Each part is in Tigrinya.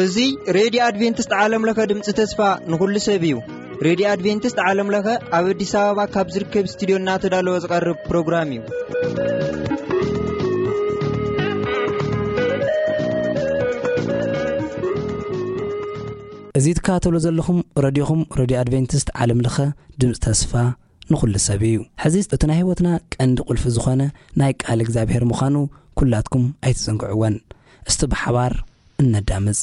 እዚ ሬድዮ ኣድቬንቲስት ዓለም ለኸ ድምፂ ተስፋ ንኹሉ ሰብ እዩ። ሬድዮ ኣድቬንቲስት ዓለም ለኸ ኣብ ኣዲስ ኣበባ ካብ ዝርከብ ስቱዲዮ እናተዳለወ ዝቐርብ ፕሮግራም እዩ። እዚ ትከታተሉ ዘለኹም ረድዮኹም፣ ረድዮ ኣድቬንቲስት ዓለም ለኸ ድምፂ ተስፋ ንኹሉ ሰብ እዩ። ሕዚ እቲ ናይ ህይወትና ቀንዲ ቁልፊ ዝኾነ ናይ ቃል እግዚኣብሔር ምዃኑ ኩላትኩም ኣይትዘንግዕወን። እስቲ ብሓባር እነዳምፅ።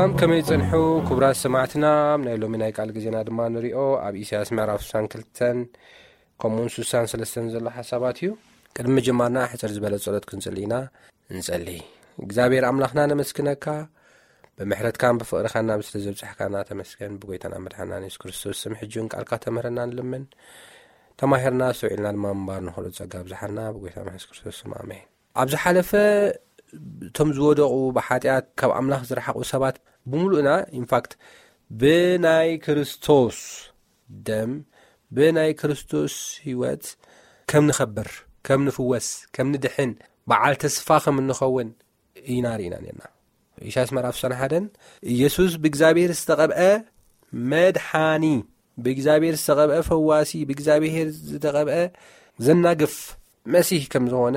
ከም ከመይ ጸንሑ? ክቡራት ሰማዕትና፣ ኣብ ናይ ሎሚ ናይ ቃል ግዜና ድማ ንሪኦ ኣብ ኢሳያስ ምዕራፍ ስሳን ክልተን ከምኡውን ስሳን ሰለስተን ዘሎ ሓሳባት እዩ። ቅድሚ ምጅማርና ሕጽር ዝበለ ጸሎት ክንጽሊ ኢና። እንጸሊ። እግዚኣብሔር ኣምላኽና፣ ነመስግነካ፣ ብምሕረትካን ብፍቕርኻን ናብ ስለ ዘብጻሕካና ተመስገን። ብጎይታና መድሓናን የሱስ ክርስቶስ ስም ሕጂ እውን ቃልካ ተምህረና ንልምን። ተማሂርና ኣስተውዒልና ድማ ምንባር ንኽእሉ ጸጋ ኣብዝሓልና፣ ብጎይታና የሱስ ክርስቶስ ስም ኣሜን። ኣብ ዝሓለፈ እቶም ዝወደቑ፣ ብሓጢኣት ካብ ኣምላኽ ዝረሓቑ ሰባት ብምሉእና፣ ኢንፋክት፣ ብናይ ክርስቶስ ደም፣ ብናይ ክርስቶስ ህይወት ከም ንኸብር፣ ከም ንፍወስ፣ ከም ንድሕን፣ በዓል ተስፋ ከም እንኸውን ኢና ርኢና ነርና። ኢሳያስ ምዕራፍ ስሳን ሓደን፣ ኢየሱስ ብእግዚኣብሔር ዝተቐብአ መድሓኒ፣ ብእግዚኣብሔር ዝተቐብአ ፈዋሲ፣ ብእግዚኣብሔር ዝተቐብአ ዘናግፍ መሲህ ከም ዝኾነ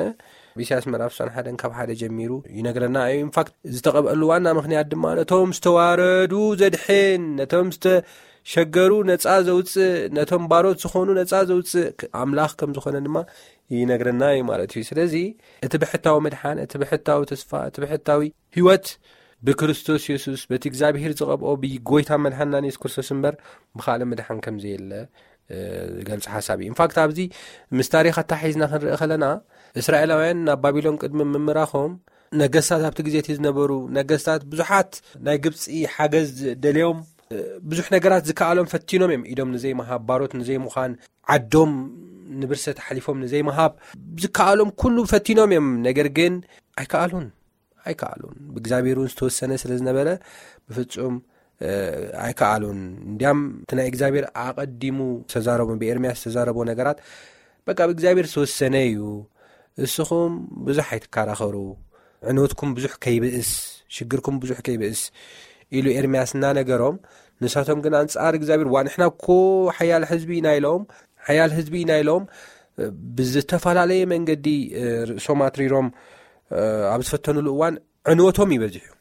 ኢሳያስ ምዕራፍ ስሳን ሓደን ካብ ሓደ ጀሚሩ ይነግረና እዩ። ኢንፋክት፣ ዝተቐብአሉ ዋና ምኽንያት ድማ ነቶም ዝተዋረዱ ዘድሕን፣ ነቶም ዝተሸገሩ ነጻ ዘውጽእ፣ ነቶም ባሮት ዝኾኑ ነጻ ዘውጽእ ኣምላኽ ከም ዝኾነ ድማ ይነግረና እዩ ማለት እዩ። ስለዚ እቲ ብሕታዊ ምድሓን፣ እቲ ብሕታዊ ተስፋ፣ እቲ ብሕታዊ ህይወት ብክርስቶስ የሱስ፣ በቲ እግዚኣብሔር ዝቐብኦ ብጎይታ መድሓንናን የሱስ ክርስቶስ እምበር ብኻልእ ምድሓን ከም ዘየለ፣ እ፣ ዝገልጽ ሓሳብ እዩ። ኢንፋክት፣ ኣብዚ ምስ ታሪኽ ኣተሓሒዝና ክንርኢ ከለና፣ እስራኤላውያን ናብ ባቢሎን ቅድሚ ምምራኾም፣ ነገስታት ኣብቲ ግዜ እቲ ዝነበሩ ነገስታት፣ ብዙሓት ናይ ግብጺ ሓገዝ ደልዮም፣ እ፣ ብዙሕ ነገራት ዝከኣሎም ፈቲኖም እዮም። ኢዶም ንዘይምሃብ፣ ባሮት ንዘይምዃን፣ ዓዶም ንብርሰት ሓሊፎም ንዘይምሃብ፣ ዝከኣሎም ኩሉ ፈቲኖም እዮም። ነገር ግን ኣይከኣሉን፣ ኣይከኣሉን። ብእግዚኣብሔር እውን ዝተወሰነ ስለ ዝነበረ፣ ብፍጹም፣ እ፣ ኣይከኣሉን። እንዲያም እቲ ናይ እግዚኣብሔር ኣቐዲሙ ዝተዛረቦ፣ ብኤርምያስ ዝተዛረቦ ነገራት፣ በቃ፣ ብእግዚኣብሔር ዝተወሰነ እዩ። እስኹም ብዙሕ ኣይትከራኸሩ፣ ዕንወትኩም ብዙሕ ከይብእስ፣ ሽግርኩም ብዙሕ ከይብእስ ኢሉ ኤርምያስ እናነገሮም፣ ንሳቶም ግን ኣንጻር እግዚኣብሔር፣ "ዋ፣ ንሕና እኮ ሓያል ህዝቢ ኢና" ኢሎም፣ ሓያል ህዝቢ ኢና ኢሎም፣ እ፣ ብዝተፈላለየ መንገዲ፣ እ፣ ርእሶም ኣትሪሮም፣ እ፣ ኣብ ዝፈተኑሉ እዋን፣ ዕንወቶም ይበዝሕ እዩ፣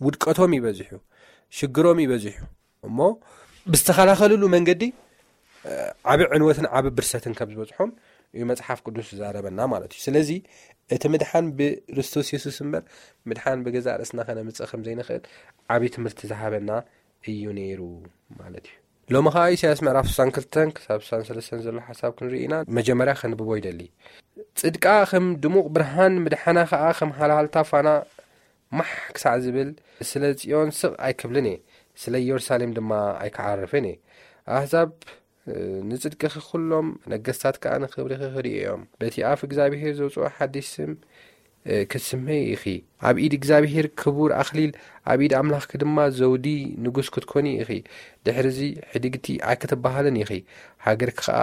ውድቀቶም ይበዝሕ እዩ፣ ሽግሮም ይበዝሕ እዩ። እሞ ብዝተኸላኸልሉ መንገዲ፣ እ፣ ዓቢ ዕንወትን ዓቢ ብርሰትን ከም ዝበጽሖም እዩ መጽሓፍ ቅዱስ ዝዛረበና ማለት እዩ። ስለዚ እቲ ምድሓን ብክርስቶስ የሱስ እምበር፣ ምድሓን ብገዛእ ርእስና ከነምጽእ ከም ዘይንኽእል ዓቢ ትምህርቲ ዝሃበና እዩ ነይሩ ማለት እዩ። ሎሚ ኸኣ ኢሳያስ ምዕራፍ ስሳን ክልተን ክሳብ ስሳን ሰለስተን ዘሎ ሓሳብ ክንርኢ ኢና። መጀመርያ ከንብቦ ይደሊ። "ጽድቃ ከም ድሙቕ ብርሃን፣ ምድሓና ኸኣ ከም ሃልሃልታ ፋና ማሕ ክሳዕ ዝብል፣ ስለ ጽዮን ስቕ ኣይክብልን እየ፣ ስለ ኢየሩሳሌም ድማ ኣይክዓርፍን እየ። ኣህዛብ፣ እ፣ ንጽድቅኺ፣ ኩሎም ነገስታት ከኣ ንኽብርኺ ክርእዩ እዮም። በቲ ኣፍ እግዚኣብሄር ዘውጽኦ ሓድሽ ስም፣ እ፣ ክትስመዪ ኢኺ። ኣብ ኢድ እግዚኣብሄር ክቡር ኣኽሊል፣ ኣብ ኢድ ኣምላኽኪ ድማ ዘውዲ ንጉስ ክትኮኒ ኢኺ። ድሕርዚ ሕድግቲ ኣይክትበሃልን ኢኺ፣ ሃገርኪ ኸኣ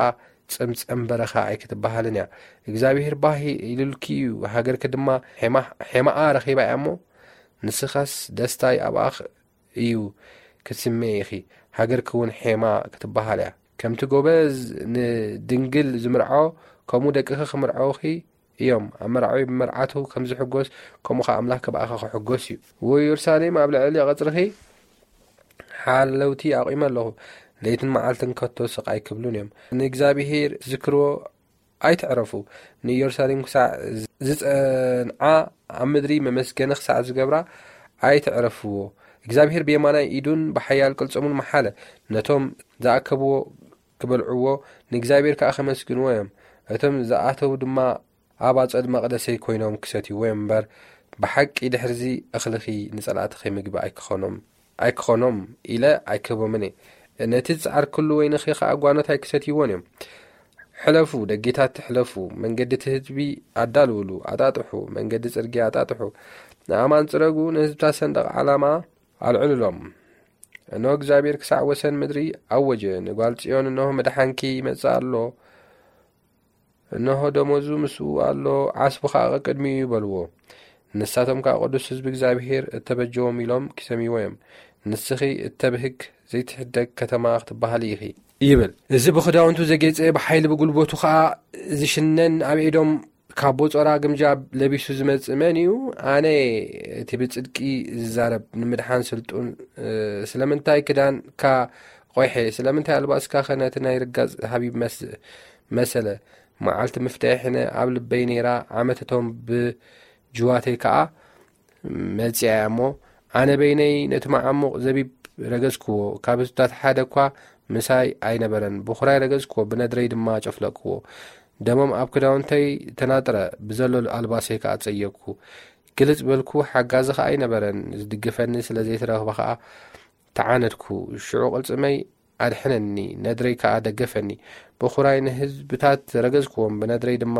ጽምጸም በረኻ ኣይክትበሃልን እያ። እግዚኣብሄር ባህ ኢሉልኪ እዩ፣ ሃገርኪ ድማ ሔማ-፣ ሔማኣ ረኺባ እያ እሞ፣ ንስኻስ ደስታይ ኣብኣ እዩ ክትስመዪ ኢኺ፣ ሃገርኪ እውን ሔማ ክትበሃል እያ። ከምቲ ጎበዝ ንድንግል ዝምርዖ፣ ከምኡ ደቅኺ ክምርዐውኺ እዮም። ኣመርዓዊ ብመርዓቱ ከም ዝሕጎስ፣ ከምኡ ኸኣ ኣምላኽ ብኣኺ ክሕጎስ እዩ። ወኢየሩሳሌም፣ ኣብ ልዕሊ ቐጽርኺ ሓለውቲ ኣቑመ ኣለኹ፣ ለይትን መዓልትን ከቶ ስቕ ኣይክብሉን እዮም። ንእግዚኣብሄር ትዝክርዎ ኣይትዕረፉ። ንኢየሩሳሌም ክሳዕ ዝጸንዓ፣ ኣብ ምድሪ መመስገኒ ክሳዕ ዝገብራ ኣይትዕረፍዎ። እግዚኣብሄር ብየማናይ ኢዱን ብሓያል ቅልጽሙን መሓለ። ነቶም ዝኣከብዎ ክበልዕዎ፣ ንእግዚኣብሄር ከኣ ከመስግንዎ እዮም። እቶም ዝኣተዉ ድማ ኣብ ኣጸድ መቕደሰይ ኮይኖም ክሰትይዎ እዮም እምበር፣ ብሓቂ ድሕርዚ እኽልኺ ንጸላእትኺ ምግቢ ኣይክኾኖም፣ ኣይክኾኖም ኢለ ኣይክህቦምን እየ። ነቲ ዝጸዓርክሉ ወይንኺ ኸኣ ጓኖት ኣይክሰትይዎን እዮም። ሕለፉ፣ ደጌታት ሕለፉ፣ መንገዲ እቲ ህዝቢ ኣዳልውሉ፣ ኣጣጥሑ፣ መንገዲ ጽርግያ ኣጣጥሑ። ንኣማን ጽረጉ፣ ንህዝብታት ሰንደቕ ዓላማ ኣልዕሉሎም። እንሆ እግዚኣብሔር ክሳዕ ወሰን ምድሪ ኣወጀ፣ ንጓል ጽዮን፣ እንሆ መድሓንኪ ይመጽእ ኣሎ፣ እንሆ ደሞዙ ምስኡ ኣሎ፣ ዓስቡ ኸኣ ቅድሚኡ እዩ በልዎ። ንሳቶም ከኣ ቅዱስ ህዝቢ እግዚኣብሔር እተበጀዎም ኢሎም ኪሰምይዎ እዮም። ንስኺ እተብህግ ዘይትሕደግ ከተማ ክትበሃሊ ኢኺ ይብል። እዚ ብኽዳውንቱ ዘጌጸ፣ ብሓይሊ ብጉልበቱ ኸኣ ዝሽነን፣ ኣብ ኤዶም ካብ ቦጾራ ግምጃ ለቢሱ ዝመጽእ መን እዩ? ኣነ እየ፣ እቲ ብጽድቂ ዝዛረብ፣ ንምድሓን ስልጡን። እ፣ ስለምንታይ ክዳንካ ቆይሐ? ስለምንታይ ኣልባስካኸ ነቲ ናይ ርጋጽ ሃቢብ መስ-፣ መሰለ? መዓልቲ ምፍትሐይ ሕነ ኣብ ልበይ ነይራ፣ ዓመት እቶም ብጅዋተይ ከኣ መጺኣ እያ እሞ፣ ኣነ በይነይ ነቲ መዓሙቕ ዘቢብ ረገጽክዎ፣ ካብ ህዝብታት ሓደ እኳ ምሳይ ኣይነበረን። ብኹራይ ረገጽክዎ፣ ብነድረይ ድማ ጨፍለቅክዎ። ደሞም ኣብ ክዳውንተይ ተናጥረ፣ ብዘሎ ኣልባሰይ ከኣ ጸየኩ። ግልጽ በልኩ፣ ሓጋዚ ከኣ ኣይነበረን። ዝድግፈኒ ስለ ዘይተረኽበ ከኣ ተዓነድኩ። ሽዑ ቅልጽመይ ኣድሕነኒ፣ ነድረይ ከኣ ደገፈኒ። ብኹራይ ንህዝብታት ረገጽክዎም፣ ብነድረይ ድማ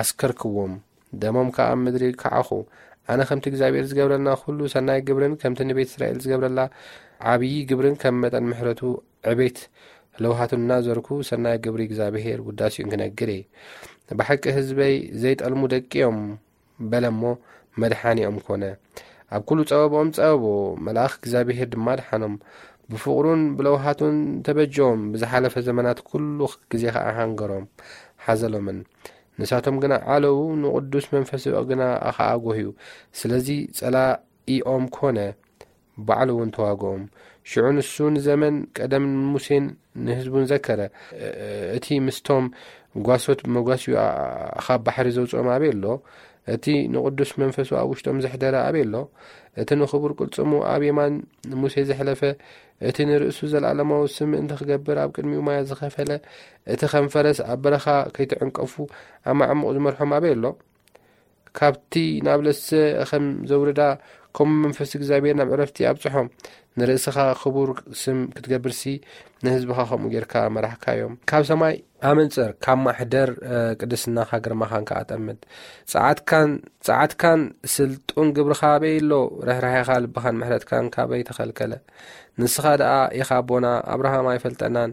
ኣስከርክዎም። ደሞም ከኣ ኣብ ምድሪ ከዓኹ። ኣነ ከምቲ እግዚኣብሔር ዝገብረልና ኩሉ ሰናይ ግብርን ከምቲ ንቤት እስራኤል ዝገብረላ ዓብዪ ግብርን ከም መጠን ምሕረቱ ዕቤት ለውሃቱን እናዘርኩ ሰናይ ግብሪ እግዚኣብሔር ውዳሴኡን ክነግር እየ። ብሓቂ ህዝበይ ዘይጠልሙ ደቂ እዮም በለ እሞ መድሓኒኦም ኮነ። ኣብ ኩሉ ጸበብኦም ጸበቦ፣ መልኣኽ እግዚኣብሔር ድማ ደሓኖም። ብፍቕሩን ብለውሃቱን ተበጀዎም። ብዝሓለፈ ዘመናት ኩሉ ግዜ ኸዓ ሓንገሮም ሓዘሎምን። ንሳቶም ግና ዓለዉ፣ ንቕዱስ መንፈስ ግና ኸዓ ጎህዩ። ስለዚ ጸላኢኦም ኮነ፣ ባዕሉ እውን ተዋግኦም። ሽዑ ንሱ ንዘመን ቀደም ሙሴን ንህዝቡን ዘከረ። እቲ ምስቶም ጓሶት መጓስዩ ካብ ባሕሪ ዘውፅኦም ኣበይ ኣሎ? እቲ ንቕዱስ መንፈሱ ኣብ ውሽጦም ዘሕደረ ኣበይ ኣሎ? እቲ ንኽቡር ቅልጽሙ ኣብ የማን ሙሴ ዘሕለፈ፣ እቲ ንርእሱ ዘለዓለማዊ ስም ምእንቲ ክገብር ኣብ ቅድሚኡ ማያ ዝኸፈለ፣ እቲ ከም ፈረስ ኣብ በረኻ ከይተዕንቀፉ ኣብ መዓሙቕ ዝመርሖም ኣበይ ኣሎ? ካብቲ ናብ ለሰ ከም ዘውርዳ፣ ከምኡ መንፈስ እግዚኣብሔር ናብ ዕረፍቲ ኣብጽሖም። ንርእስኻ ክቡር ስም ክትገብርሲ፣ ንህዝብኻ ከምኡ ጌርካ መራሕካዮም። ካብ ሰማይ ኣመንጽር፣ ካብ ማሕደር፣ እ፣ ቅድስናኻ ግርማኻን ከኣ ጠምት። ጸዓትካን፣ ጸዓትካን ስልጡን ግብርኻ ኣበይ ኣሎ? ርሕራሄኻ፣ ልብኻን ምሕረትካን ካበይ ተኸልከለ? ንስኻ ደኣ ኢኻ ኣቦና፣ ኣብርሃም ኣይፈልጠናን፣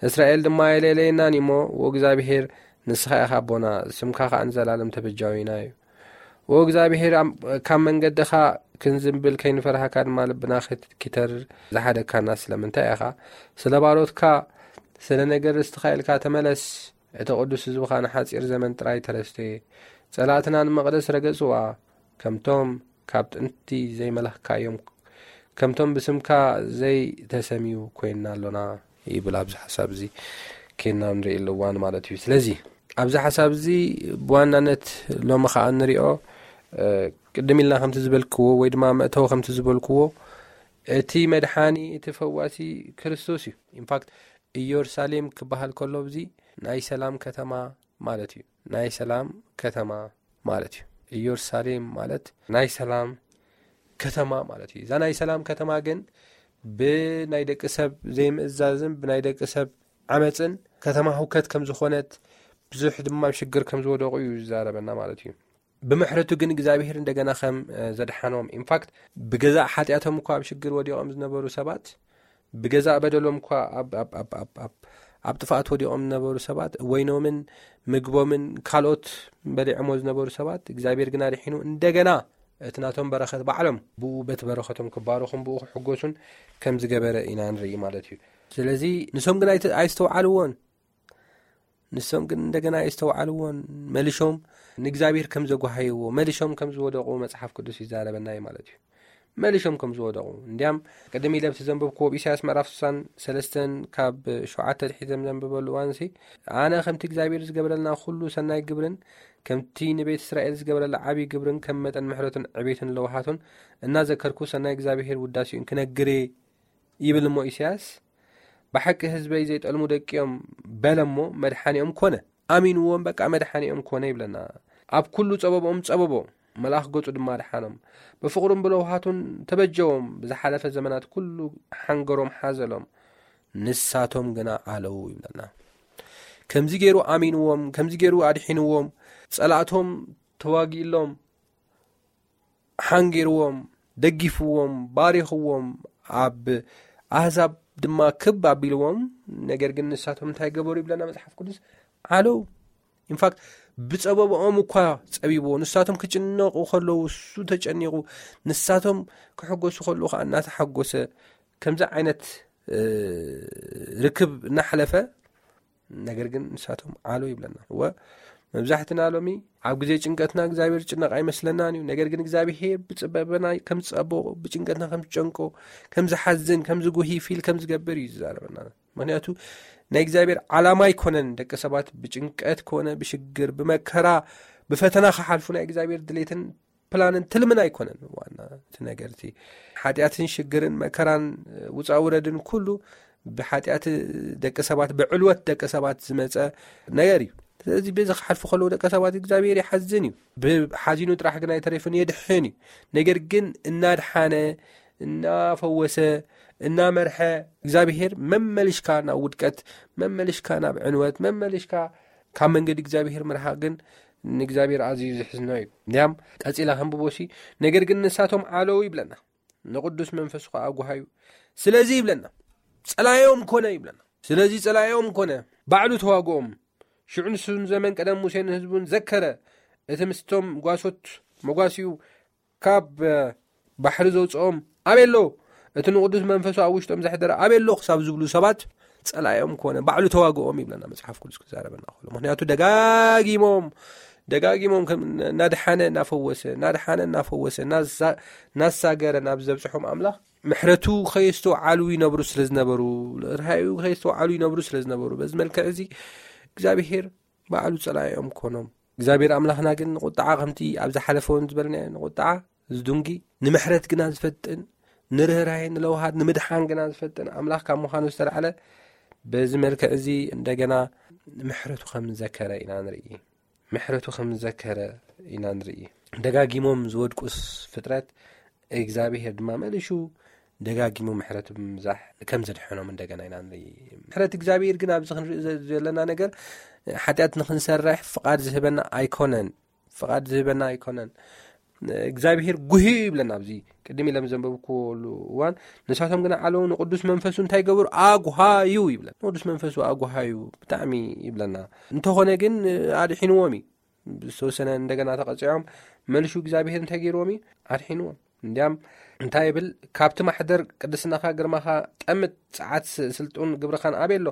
እስራኤል ድማ ኣይለለየናን እሞ፣ ወእግዚኣብሔር፣ ንስኻ ኢኻ ኣቦና፣ ስምካ ከኣ ንዘላለም ተበጃዊና እዩ። ወእግዚኣብሔር፣ ኣም-፣ ካብ መንገድኻ ክንዝንብል ከይንፈርሃካ ድማ ልብና ክት-፣ ኪተርር ዝሓደግካና ስለምንታይ ኢኻ? ስለ ባሮትካ፣ ስለ ነገር ርስትኻ ኢልካ ተመለስ። እቲ ቅዱስ ህዝብኻ ንሓጺር ዘመን ጥራይ ተረስተየ። ጸላእትና ንመቕደስ ረገጽዋ። ከምቶም ካብ ጥንቲ ዘይመላኽካዮም፣ ከምቶም ብስምካ ዘይተሰምዩ ኮይንና ኣሎና ይብል። ኣብዚ ሓሳብ እዚ ኬንና ንርእየሉ እዋን ማለት እዩ። ስለዚ ኣብዚ ሓሳብ እዚ ብዋናነት ሎሚ ኸዓ ንሪኦ፣ እ፣ ቅድም ኢልና ከምቲ ዝበልክዎ ወይ ድማ መእተዊ ከምቲ ዝበልክዎ፣ እቲ መድሓኒ፣ እቲ ፈዋሲ ክርስቶስ እዩ። ኢንፋክት፣ ኢየሩሳሌም ክበሃል ከሎ፣ እዚ ናይ ሰላም ከተማ ማለት እዩ። ናይ ሰላም ከተማ ማለት እዩ። ኢየሩሳሌም ማለት ናይ ሰላም ከተማ ማለት እዩ። እዛ ናይ ሰላም ከተማ ግን ብናይ ደቂ ሰብ ዘይምእዛዝን ብናይ ደቂ ሰብ ዓመፅን ከተማ ህውከት ከም ዝኾነት፣ ብዙሕ ድማ ኣብ ሽግር ከም ዝወደቑ እዩ ዝዛረበና ማለት እዩ። ብምሕረቱ ግን እግዚኣብሔር እንደገና ከም፣ እ፣ ዘድሓኖም፣ ኢንፋክት፣ ብገዛእ ሓጢኣቶም እኳ ኣብ ሽግር ወዲቖም ዝነበሩ ሰባት፣ ብገዛእ በደሎም እኳ ኣብ፣ ኣብ፣ ኣብ፣ ኣብ፣ ኣብ፣ ኣብ ጥፍኣት ወዲቖም ዝነበሩ ሰባት፣ ወይኖምን ምግቦምን ካልኦት በሊዖሞ ዝነበሩ ሰባት፣ እግዚኣብሔር ግን ኣድሒኑ እንደገና እቲ ናቶም በረኸት ባዕሎም ብኡ በቲ በረኸቶም ክባረኹን ብኡ ክሕጎሱን ከም ዝገበረ ኢና ንርኢ ማለት እዩ። ስለዚ ንሶም ግን ኣይተ-፣ ኣይስተውዓልዎን። ንሶም ግን እንደገና የስተውዓልዎን፣ መሊሾም ንእግዚኣብሔር ከም ዘጓሃይዎ፣ መሊሾም ከም ዝወደቑ መጽሓፍ ቅዱስ ይዛረበና እዩ ማለት እዩ። መሊሾም ከም ዝወደቑ። እንዲያም ቅድም ኢለ ኣብቲ ዘንበብክዎ ኣብ ኢሳያስ ምዕራፍ ስሳን ሰለስተን ካብ ሸውዓተ ኣትሒዘ ዘንብበሉ እዋንሲ፣ ኣነ ከምቲ እግዚኣብሔር ዝገብረልና ኩሉ ሰናይ ግብርን ከምቲ ንቤት እስራኤል ዝገብረላ ዓብዪ ግብርን ከም መጠን ምሕረቱን ዕቤቱን ለውሃቱን እናዘከርኩ ሰናይ እግዚኣብሔር ውዳሴኡን ክነግር እየ ይብል እሞ ኢሳያስ፣ ብሓቂ ህዝበይ ዘይጠልሙ ደቂኦም በለ እሞ መድሓኒኦም ኮነ። ኣሚንዎም በቃ መድሓኒኦም ኮነ ይብለና። ኣብ ኩሉ ጸበብኦም ጸበቦ፣ መልኣኽ ገጹ ድማ ደሓኖም። ብፍቕሩን ብለውሃቱን ተበጀዎም፣ ብዝሓለፈ ዘመናት ኩሉ ሓንገሮም ሓዘሎም። ንሳቶም ግና ኣለዉ ይብለና። ከምዚ ገይሩ ኣሚንዎም፣ ከምዚ ገይሩ ኣድሒንዎም፣ ጸላእቶም ተዋጊእሎም፣ ሓንጊርዎም፣ ደጊፍዎም፣ ባሪኽዎም፣ ኣብ ኣህዛብ ድማ ክብ ኣቢልዎም፣ ነገር ግን ንሳቶም እንታይ ገበሩ ይብለና መጽሓፍ ቅዱስ? ዓለዉ። ኢንፋክት ብጸበብኦም እኳ ጸቢብዎ፣ ንሳቶም ክጭነቑ ከለዉ እሱ ተጨኒቑ፣ ንሳቶም ክሕጎሱ ከለዉ ኸኣ እናተሓጎሰ፣ ከምዚ ዓይነት፣ እ፣ ርክብ እናሕለፈ፣ ነገር ግን ንሳቶም ዓለዉ ይብለና። እወ፣ መብዛሕትና ሎሚ ኣብ ግዜ ጭንቀትና እግዚኣብሔር ዝጭነቕ ኣይመስለናን እዩ። ነገር ግን እግዚኣብሔር ብጽበበና ከም ዝጸብቖ፣ ብጭንቀትና ከም ዝጨንቆ፣ ከም ዝሓዝን፣ ከም ዝጉሂ ፊል ከም ዝገብር እዩ ዝዛረበና። ምኽንያቱ ናይ እግዚኣብሔር ዓላማ ኣይኮነን ደቂ ሰባት ብጭንቀት ኮነ ብሽግር፣ ብመከራ፣ ብፈተና ክሓልፉ ናይ እግዚኣብሔር ድሌትን ፕላንን ትልምን ኣይኮነን። ዋና እቲ ነገር እቲ ሓጢኣትን ሽግርን መከራን ውፃ ውረድን ኩሉ ብሓጢኣት ደቂ ሰባት፣ ብዕልወት ደቂ ሰባት ዝመፀ ነገር እዩ። ስለዚ በዚ ክሓልፉ ከለዉ ደቂ ሰባት እግዚኣብሔር ይሓዝን እዩ። ብሓዚኑ ጥራሕ ግን ኣይተረፍን፣ የድሕን እዩ። ነገር ግን እናድሓነ፣ እናፈወሰ፣ እናመርሐ እግዚኣብሔር መመልሽካ ናብ ውድቀት፣ መመልሽካ ናብ ዕንወት፣ መመልሽካ ካብ መንገዲ እግዚኣብሔር ምርሓቅ ግን ንእግዚኣብሔር ኣዝዩ ዝሕዝኖ እዩ። እንዲያም ቀጺላ ከንብቦሲ፣ ነገር ግን ንሳቶም ዓለዉ ይብለና፣ ንቅዱስ መንፈሱ ከኣ ኣጉሃዩ። ስለዚ ይብለና፣ ጸላዮም ኮነ ይብለና። ስለዚ ጸላዮም ኮነ፣ ባዕሉ ተዋግኦም። ሽዑ ንሱ ንዘመን ቀደም ሙሴን ህዝቡን ዘከረ። እቲ ምስቶም ጓሶት መጓሲኡ ካብ ባሕሪ ዘውፅኦም ኣበይ ኣሎ? እቲ ንቅዱስ መንፈሱ ኣብ ውሽጦም ዘሕደረ ኣበይ ኣሎ ክሳብ ዝብሉ ሰባት ጸላዮም ኮነ፣ ባዕሉ ተዋግኦም ይብለና መጽሓፍ ቅዱስ ክዛረበና ከሎ። ምክንያቱ ደጋጊሞም ደጋጊሞም ከም እናድሓነ እናፈወሰ፣ እናድሓነ እናፈወሰ፣ እናሳ-፣ እናሳገረ ናብ ዘብጽሖም ኣምላኽ ምሕረቱ ከየስተውዓሉ ይነብሩ ስለ ዝነበሩ፣ ርሃዩ ከየስተውዓሉ ይነብሩ ስለ ዝነበሩ፣ በዚ መልክዕ እዚ እግዚኣብሔር ባዕሉ ጸላኢኦም ኮኖም። እግዚኣብሔር ኣምላኽና ግን ንቁጥዓ ከምቲ ኣብ ዝሓለፈ እውን ዝበልናዮ ንቁጥዓ ዝዱንጊ፣ ንምሕረት ግና ዝፈጥን፣ ንርህራሄ፣ ንለውሃት፣ ንምድሓን ግና ዝፈጥን ኣምላኽ ካብ ምዃኑ ዝተላዕለ፣ በዚ መልክዕ እዚ እንደገና ምሕረቱ ከም ዘከረ ኢና ንርኢ። ምሕረቱ ከም ዘከረ ኢና ንርኢ። ደጋጊሞም ዝወድቁስ ፍጥረት እግዚኣብሔር ድማ መሊሹ ደጋጊሙ ምሕረት ብምብዛሕ ከም ዘድሐኖም እንደገና ኢና ንርኢ። ምሕረት እግዚኣብሔር ግን ኣብዚ ክንርኢ ዘ-፣ ዘለና ነገር ሓጢኣት ንክንሰርሕ ፍቓድ ዝህበና ኣይኮነን። ፍቓድ ዝህበና ኣይኮነን። እግዚኣብሔር ጉህዩ ይብለና ኣብዚ ቅድም ኢሎም ዘንበብኩሉ እዋን፣ ንሳቶም ግና ዓለዉ ንቅዱስ መንፈሱ እንታይ ገበሩ? ኣጉሃዩ ይብለና። ንቅዱስ መንፈሱ ኣጉሃዩ ብጣዕሚ ይብለና። እንተኾነ ግን ኣድሒንዎም እዩ። ዝተወሰነ እንደገና ተቐጺዖም መልሹ እግዚኣብሔር እንታይ ገይርዎም እዩ? ኣድሒንዎም። እንዲያም እንታይ ይብል? ካብቲ ማሕደር ቅድስናኻ ግርማኻ ጠምት፣ ጸዓት ስ-፣ ስልጡን ግብርኻን ኣበይ ኣሎ?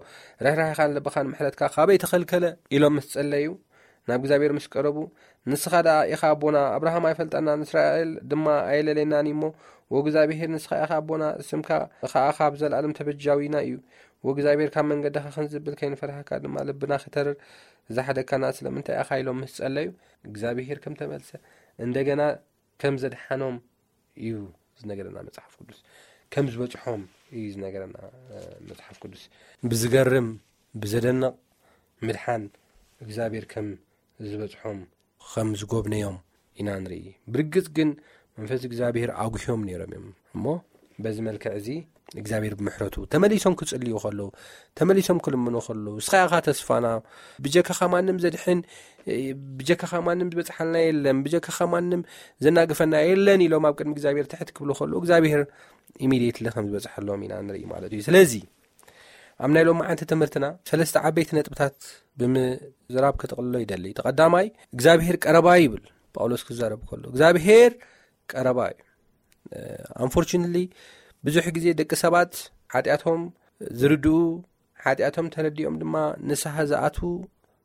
ርህራሄኻን ልብኻን ምሕረትካ ካበይ ተኸልከለ? ኢሎም ምስ ጸለዩ፣ ናብ እግዚኣብሔር ምስ ቀረቡ፣ ንስኻ ደኣ ኢኻ ኣቦና፣ ኣብርሃም ኣይፈልጠናን፣ እስራኤል ድማ ኣየለለየናን እዩ እሞ፣ ወእግዚኣብሔር ንስኻ ኢኻ ኣቦና፣ ስምካ ኸኣ ካብ ዘለኣለም ተበጃዊና እዩ። ወእግዚኣብሔር ካብ መንገድኻ ክንዝብል ከይንፈርሃካ ድማ ልብና ኺተርር ዝሓደግካና ስለምንታይ ኢኻ? ኢሎም ምስ ጸለዩ፣ እግዚኣብሔር ከም ተመልሰ እንደገና ከም ዘድሓኖም እዩ ዝነገረና መጽሓፍ ቅዱስ። ከም ዝበጽሖም እዩ ዝነገረና፣ እ፣ መጽሓፍ ቅዱስ። ብዝገርም፣ ብዘደንቕ ምድሓን እግዚኣብሔር ከም ዝበጽሖም፣ ከም ዝጎብነዮም ኢና ንርኢ። ብርግጽ ግን መንፈስ እግዚኣብሔር ኣጉህዮም ነይሮም እዮም። እሞ በዚ መልክዕ እዚ እግዚኣብሔር ብምሕረቱ ተመሊሶም ክጽልዩ ከለዉ፣ ተመሊሶም ክልምኑ ከለዉ፣ "ንስኻ ኢኻ ተስፋና፣ ብጀካኻ ማንም ዘድሕን፣ ብጀካኻ ማንም ዝበጽሓልና የለን፣ ብጀካኻ ማንም ዘናግፈና የለን" ኢሎም ኣብ ቅድሚ እግዚኣብሔር ትሕት ክብሉ ከለዉ፣ እግዚኣብሔር ኢሚድየትሊ ከም ዝበጽሐሎም ኢና ንርኢ ማለት እዩ። ስለዚ ኣብ ናይ ሎማዓንቲ ትምህርትና ሰለስተ ዓበይቲ ነጥብታት ብምዝራብ ክጥቕልሎ ይደሊ። እቲ ቀዳማይ፣ እግዚኣብሔር ቀረባ ይብል ጳውሎስ ክዛረብ ከሎ፣ እግዚኣብሔር ቀረባ እዩ። ኣንፎርቹነትሊ ብዙሕ ግዜ ደቂ ሰባት ሓጢኣቶም ዝርድኡ፣ ሓጢኣቶም ተረዲኦም ድማ ንስሓ ዝኣትዉ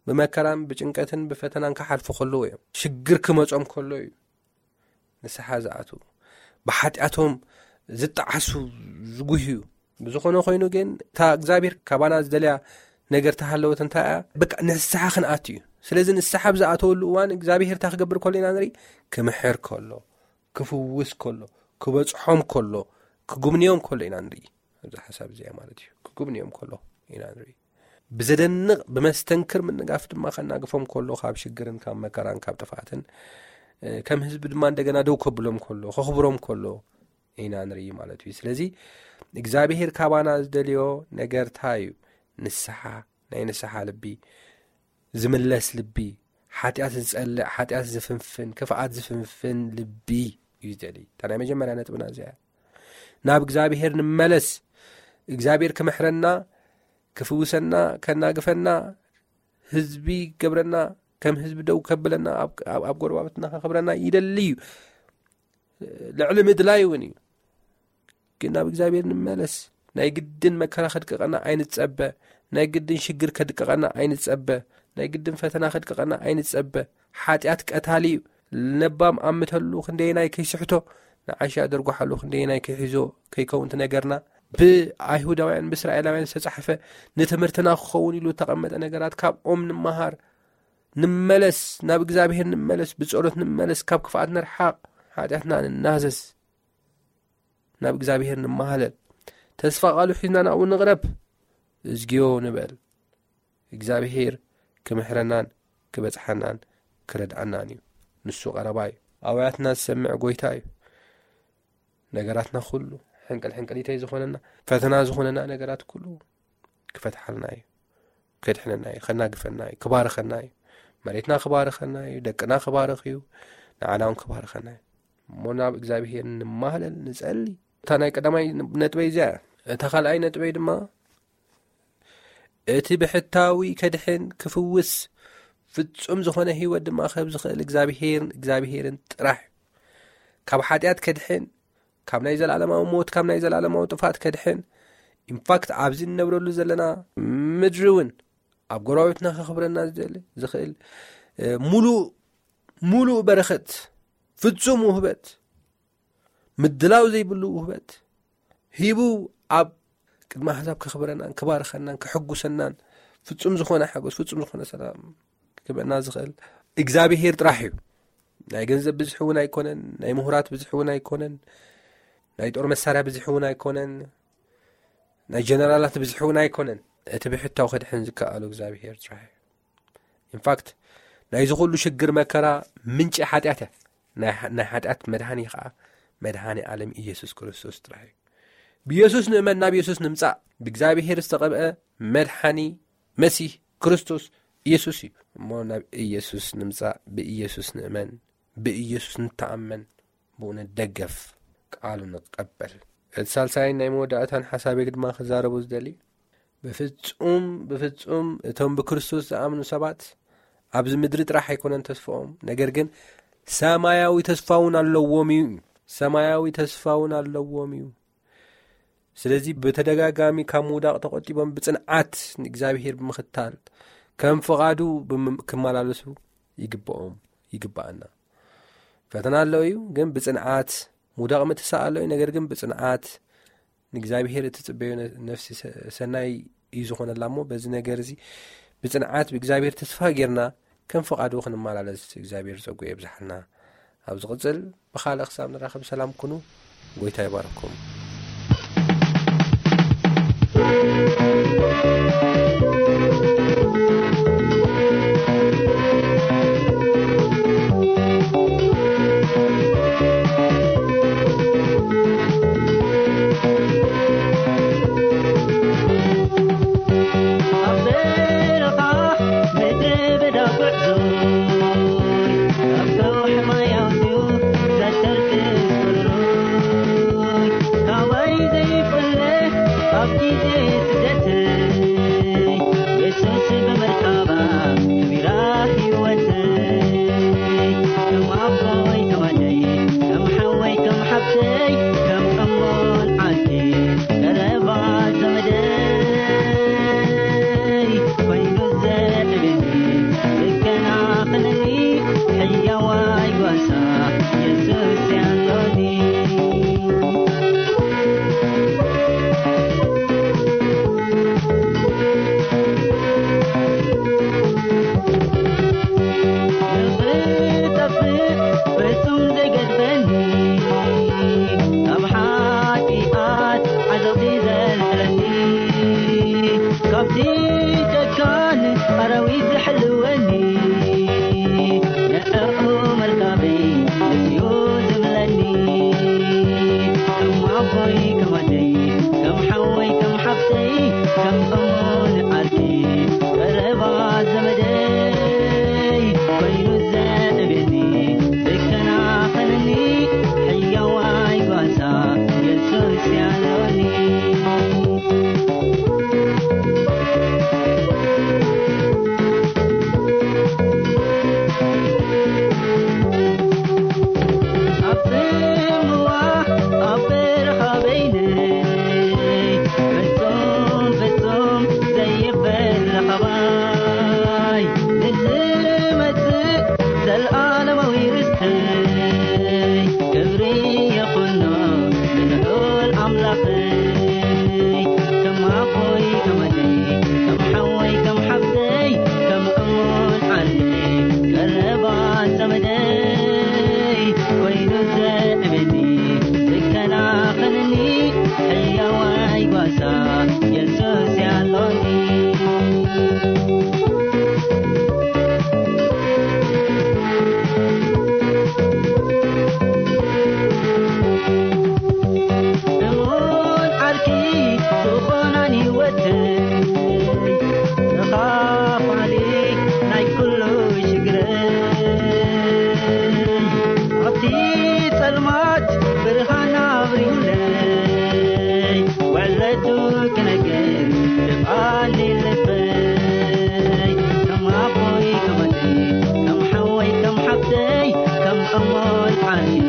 ብመከራን ብጭንቀትን ብፈተናን ክሓልፉ ከለዉ እዮም። ሽግር ክመጾም ከሎ እዩ ንስሓ ዝኣትዉ፣ ብሓጢኣቶም ዝጠዓሱ፣ ዝጉህዩ። ብዝኾነ ኮይኑ ግን እታ እግዚኣብሔር ካባና ዝደልያ ነገር ተሃለወት እንታይ እያ? በቃ ንስሓ ክንኣቱ እዩ። ስለዚ ንስሓ ኣብ ዝኣተወሉ እዋን እግዚኣብሔር እንታይ ክገብር ከሎ ኢና ንርኢ? ክምሕር ከሎ፣ ክፍውስ ከሎ፣ ክበጽሖም ከሎ፣ ክጉብንዮም ከሎ ኢና ንርኢ። ኣብዚ ሓሳብ እዚኣ ማለት እዩ። ክጉብንዮም ከሎ ኢና ንርኢ። ብዘደንቕ፣ ብመስተንክር ምንጋፍ ድማ ከናግፎም ከሎ፣ ካብ ሽግርን ካብ መከራን ካብ ጥፍኣትን፣ እ፣ ከም ህዝቢ ድማ እንደገና ደው ከብሎም ከሎ፣ ከኽብሮም ከሎ ኢና ንርኢ ማለት እዩ። ስለዚ እግዚኣብሔር ካባና ዝደልዮ ነገር እንታይ እዩ? ንስሓ፣ ናይ ንስሓ ልቢ፣ ዝምለስ ልቢ፣ ሓጢኣት ዝጸልእ፣ ሓጢኣት ዝፍንፍን፣ ክፍኣት ዝፍንፍን ልቢ እዩ ዝደሊ። እታ ናይ መጀመርያ ነጥብና እዚኣ እያ። ናብ እግዚኣብሔር ንመለስ። እግዚኣብሔር ክምሕረና፣ ክፍውሰና፣ ከናግፈና፣ ህዝቢ ክገብረና፣ ከም ህዝቢ ደው ከብለና፣ ኣብ፣ ኣብ፣ ኣብ ጎረባብትና ከኽብረና ይደሊ እዩ። ልዕሊ ምድላይ እውን እዩ። ግን ናብ እግዚኣብሔር ንመለስ። ናይ ግድን መከራ ከድቅቐና ኣይንጸበ። ናይ ግድን ሽግር ከድቅቐና ኣይንጸበ። ናይ ግድን ፈተና ከድቅቐና ኣይንጸበ። ሓጢኣት ቀታሊ እዩ። ለባም ኣምተሉ ክንደየናይ ከይስሕቶ፣ ንዓሻ ደርጓሓሉ ክንደየናይ ከይሒዞ ከይከውን እቲ ነገርና። ብኣይሁዳውያን ብእስራኤላውያን ዝተጻሕፈ ንትምህርትና ክኸውን ኢሉ ዝተቐመጠ ነገራት ካብኦም ንመሃር። ንመለስ፣ ናብ እግዚኣብሔር ንመለስ፣ ብጸሎት ንመለስ፣ ካብ ክፍኣት ንርሓቕ፣ ሓጢኣትና ንናዘዝ፣ ናብ እግዚኣብሔር ንመሃለል፣ ተስፋ ቃሉ ሒዝና ናብኡ ንቕረብ፣ እዝግዮ ንበል። እግዚኣብሔር ክምሕረናን ክበጽሓናን ክረድኣናን እዩ። ንሱ ቀረባ እዩ። ኣውያትና ዝሰምዕ ጎይታ እዩ። ነገራትና ኩሉ ሕንቅል ሕንቅሊተይ ዝኾነና፣ ፈተና ዝኾነና ነገራት ኩሉ ክፈትሓልና እዩ። ከድሕነና እዩ። ከናግፈና እዩ። ክባርኸና እዩ። መሬትና ክባርኸና እዩ። ደቅና ክባርኽ እዩ። ንዓና እውን ክባርኸና እዩ። እሞ ናብ እግዚኣብሔር ንማህለል፣ ንጸሊ። እታ ናይ ቀዳማይ ነጥበይ እዚኣ እያ። እታ ካልኣይ ነጥበይ ድማ እቲ ብሕታዊ ከድሕን ክፍውስ ፍጹም ዝኾነ ህይወት ድማ ክህብ ዝኽእል እግዚኣብሔርን እግዚኣብሔርን ጥራሕ እዩ። ካብ ሓጢኣት ከድሕን፣ ካብ ናይ ዘለኣለማዊ ሞት፣ ካብ ናይ ዘለኣለማዊ ጥፋት ከድሕን፣ ኢንፋክት ኣብዚ እንነብረሉ ዘለና ምድሪ እውን ኣብ ጎረባብትና ከኽብረና ዝደሊ ዝኽእል፣ እ፣ ሙሉእ፣ ሙሉእ በረኸት፣ ፍጹም ውህበት፣ ምድላው ዘይብሉ ውህበት ሂቡ ኣብ ቅድሚ ኣሕዛብ ከኽብረናን ክባርኸናን ከሐጉሰናን ፍጹም ዝኾነ ሓጎስ፣ ፍጹም ዝኾነ ሰላም ክበና ዝኽእል እግዚኣብሔር ጥራሕ እዩ። ናይ ገንዘብ ብዝሒ እውን ኣይኮነን፣ ናይ ምሁራት ብዝሒ እውን ኣይኮነን፣ ናይ ጦር መሳርያ ብዝሒ እውን ኣይኮነን፣ ናይ ጀነራላት ብዝሒ እውን ኣይኮነን። እቲ ብሕታው ከድሕን ዝከኣሉ እግዚኣብሔር ጥራሕ እዩ። ኢንፋክት ናይዚ ኩሉ ሽግር መከራ ምንጪ ሓጢኣት እያ። ናይ ሓ-፣ ናይ ሓጢኣት መድሃኒ ኸዓ መድሃኒ ዓለም ኢየሱስ ክርስቶስ ጥራሕ እዩ። ብኢየሱስ ንእመን፣ ናብ ኢየሱስ ንምጻእ፣ ብእግዚኣብሔር ዝተቐብአ መድሓኒ መሲህ ክርስቶስ ኢየሱስ እዩ። እሞ ናብ ኢየሱስ ንምጻእ፣ ብኢየሱስ ንእመን፣ ብኢየሱስ ንተኣመን፣ ብኡ ንደገፍ፣ ቃሉ ንቀበል። እቲ ሳልሳይን ናይ መወዳእታን ሓሳበይ ድማ ክዛረቡ ዝደሊ፣ ብፍጹም፣ ብፍጹም እቶም ብክርስቶስ ዝኣምኑ ሰባት ኣብዚ ምድሪ ጥራሕ ኣይኮነን ተስፋኦም፣ ነገር ግን ሰማያዊ ተስፋ እውን ኣለዎም እዩ። ሰማያዊ ተስፋ እውን ኣለዎም እዩ። ስለዚ ብተደጋጋሚ ካብ ምውዳቕ ተቖጢቦም ብጽንዓት ንእግዚኣብሔር ብምኽታል ከም ፍቓዱ ብም-፣ ክመላለሱ ይግብኦም፣ ይግብኣና። ፈተና ኣሎ እዩ፣ ግን ብጽንዓት፣ ምውዳቕ ምትሳእ ኣሎ እዩ፣ ነገር ግን ብጽንዓት ንእግዚኣብሔር እትጽበዮ ነ-፣ ነፍሲ ሰ-፣ ሰናይ እዩ ዝኾነላ። እሞ በዚ ነገር እዚ ብጽንዓት ብእግዚኣብሔር ተስፋ ጌርና ከም ፍቓዱ ክንመላለስ እግዚኣብሔር ጸጉ የብዝሓልና። ኣብ ዝቕጽል ብኻልእ ክሳብ ንራኸብ ሰላም ኩኑ። ጎይታ ይባርኩም። ኣብ በረኻ ምድረ በዳ ጉዕዞ፣ ኣብ ከውሒ ማይ ኣውጽኡ ዘተርክስ ቁሩይ፣ ካባይ ዘይፍለ ኣብ ግዜ ስደተይ፣ የሱስ ብምርካባ ክቢራ ህይወተይ። ከም ኣቦይ ከም ኣደይ፣ ከም ሓወይ ከም ሓብተይ፣ ከም እሞን ዓርኪ ቀረባ ዘመደይ ኮይኑ ዘዕብኒ፣ ዝከናኸነኒ ሕያዋይ ጓሳ የሱስ ያሎኒ። ንኽጠፍእ ፍጹም ዘይገድፈኒ፣ ካብ ሓጢኣት ዓዘቕቲ ዘልዕለኒ፣ ካብቲ ጨካን ኣራዊት ዝሕልወኒ፣ ንዕኡ መርካበይ ንስዩ ዝብለኒ። ከም ኣቦይ ከም ኣደይ፣ ከም ሓወይ ከም ሓፍተይ፣ ከም እሙን ዓርኪ ቀረባ ዘመደይ ኮይኑ ዘዕብየኒ፣ ዝከና عيني